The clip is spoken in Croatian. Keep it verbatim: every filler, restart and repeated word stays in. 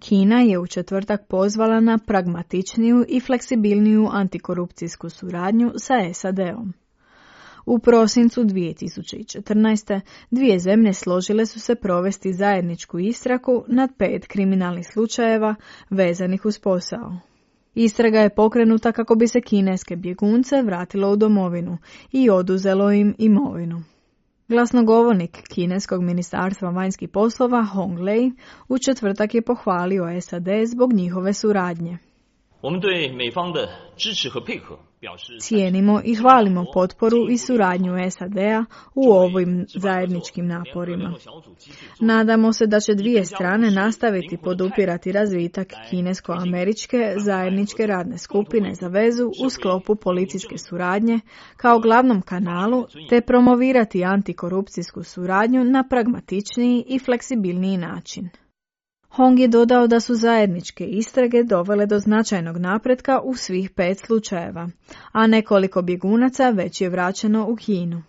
Kina je u četvrtak pozvala na pragmatičniju i fleksibilniju antikorupcijsku suradnju sa S A D-om. U prosincu dvije tisuće četrnaeste. dvije zemlje složile su se provesti zajedničku istragu nad pet kriminalnih slučajeva vezanih uz posao. Istraga je pokrenuta kako bi se kineske bjegunce vratilo u domovinu i oduzelo im imovinu. Glasnogovornik kineskog ministarstva vanjskih poslova Hong Lei u četvrtak je pohvalio S A D zbog njihove suradnje. Cijenimo i hvalimo potporu i suradnju S A D-a u ovim zajedničkim naporima. Nadamo se da će dvije strane nastaviti podupirati razvitak kinesko-američke zajedničke radne skupine za vezu u sklopu policijske suradnje kao glavnom kanalu te promovirati antikorupcijsku suradnju na pragmatičniji i fleksibilniji način. Hong je dodao da su zajedničke istrage dovele do značajnog napretka u svih pet slučajeva, a nekoliko bjegunaca već je vraćeno u Kinu.